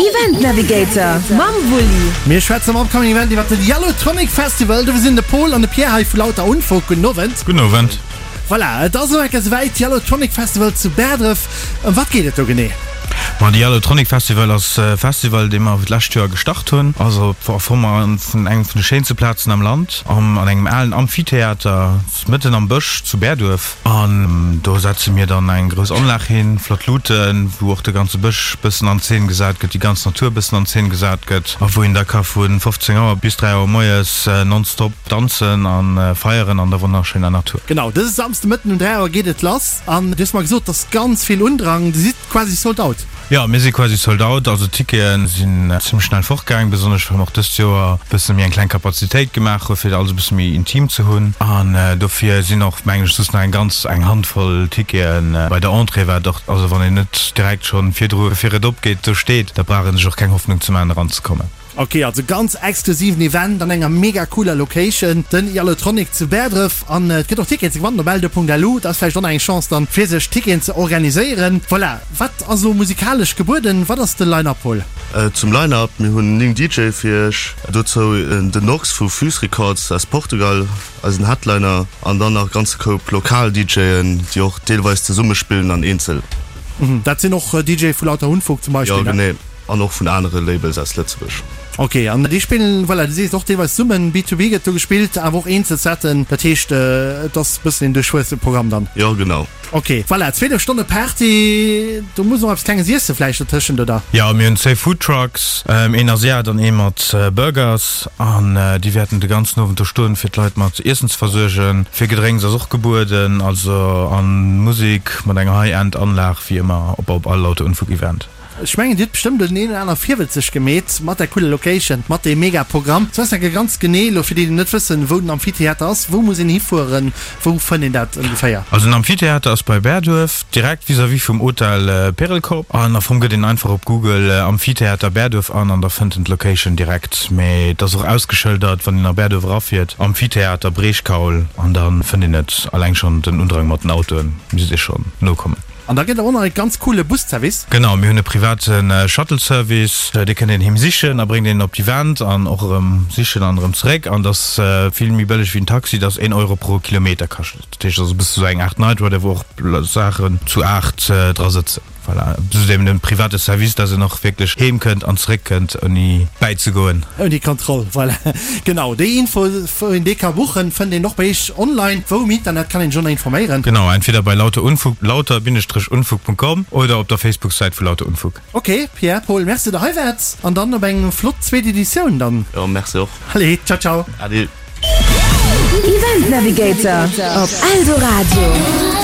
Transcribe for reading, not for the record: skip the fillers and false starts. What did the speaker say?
Event Navigator mam Wulli. Mir schwätzen am Upcoming Event iwwert den Yellowtronic Festival. Do sinn de Paul an de Pierre hei vu Lauter Unfug. Gudden Owend. Gudden Owend. Voilà, et ass elo enker souwäit, Yellowtronic Festival zu Bäerdref. Ëm wat geet et do genee? Ma de Yellowtronic Festival ass e Festival, dee mer d'lescht Joer gestart hunn. Ass op a Form vun engem vun de schéinste Plazen am Land, an engem alen Amphitheater mëtten am Bësch zu Bäerduerf. An do setze mir dann eng grouss Anlag hin, flott Luuten, wou och de ganze Bësch bëssen an Zeen gesat gëtt, déi ganz Natur bëssen an Zeen gesat gëtt a wou een da ka vu 15 Auer bis 3 Auer moies nonstop danzen a feieren an der wonnerschéiner Natur. Genau, dëse Samsde Mëtten um 3 Auer geet et lass an du hues mer gesot, et ass ganz vill Undrang, Dir sidd quasi sold out. Jo, mir si quasi sold out. Also d'Tickete sinn zimmlech schnell fortgaang, besonnesch well mer och dëst Joer e bësse méi eng kleng Kapazitéit gemaach hu fir alles e bësse méi intim ze hunn. An dofir sinn och, mengen ech, just nach eng ganz eng Handvoll Tickete bei der Entrée, wat och, also wann een net direkt schonn virdru fir et opgeet do steet, da brauch ee sech och keng Hoffnung ze maachen eranzekommen. Ok, also ganz exklusiven Event an enger mega cooler Location, den Yallotronic zu Bäerdref. An et gëtt och Ticketen ze gewannen op eldo.lu. Dat ass vläicht och nach eng Chance dann fir sech Ticketen ze organiséieren. Voilà, wat ass elo musikalesch gebueden? Wat ass de Line-Up, Paul? Zum Line-Up, mir hunn 9 DJe fir iech, dozou den Nox vu Fuse Records aus Portugal, eisen Headliner, an dann nach e ganze Koup lokal DJen, déi och deelweis zesumme spillen an eenzel. Dat sinn och DJe vu Lauter Unfug zum Beispill, ne? Jo, genee. An och vun anere Labels aus Lëtzebuerg. Ok, an déi spillen, voilà, du sees och deelweis zesummen, B2B gëtt do gespillt, awer och eenzel Setten, dat heescht et ass e bëssen een duerchwuessene Programm dann? Jo, genau. Ok, voilà, 12 Stonne Party, do muss och eppes Klenges iessen vläicht dotëschent, oder? Jo, mir hunn zwéi Foodtrucks, een Asiat an ee mat Burgers, an déi wäerten de ganzen Owend do stoen, fir d'Leit mat Iessen ze versuergen. Fir Gedrénks ass och gebueden, also, an Musek mat enger High-End-Anlag, wéi ëmmer op all Lauter Unfug Event. Ech mengen dir hutt bestëmmt den een oder aner virwëtzeg gemeet mat der cooler Location, mat deem mega Programm. Sou ass enke ganz genee elo fir déi déi net wëssen wou den Amphitheater ass, wou muss een hifueren, wou fënnt een dat ongeféier? Also den Amphitheater ass bei Bäerduerf, direkt vis-à-vis vum Hotel Perelkorb an am Fong gëtt een einfach op Google Amphitheater Bäerduerf an an da fënnt en d'Location direkt. Mee et ass och ausgeschëldert wann een a Bäerduerf erafiert, Amphitheater Breechkaul an da fënnt een et. Alleng schonn den Undrang mat den Autoen misst ee schonn nokommen. An da gëtt et och nach e ganz coole Busservice. Genau, mir hunn e private Shuttle Service, dee kënnt een heem sichen a bréngt een op d'Event an och erëm sichen an erëm zeréck. An dat ass vill méi bëlleg wéi en Taxi, dat ass een Euro pro Kilometer kascht et. Dat heescht, dat ass e bësse sou eng Aart Night Rider, wou och Saachen zu 8 dra sëtzen. Voilà, zudem e private Service, dass een och wierklech heem kënnt an zeréck kënnt ouni bäizegoen. Ouni Kontroll, voilà. Genau, déi Info wou een dee ka buchen, fënnt een och bei iech online. Wou um Internet kann een sech och nach informéieren? Genau, entweder bei lauterunfug, lauter-unfug.com oder op der Facebook-Säit vu Lauter Unfug. Ok, Pierre, Paul, Merci der hei waart an dann op eng flott zweet Editioun dann. Jo, merci och. Allez, ciao ciao. Ade. Event Navigator op Eldoradio.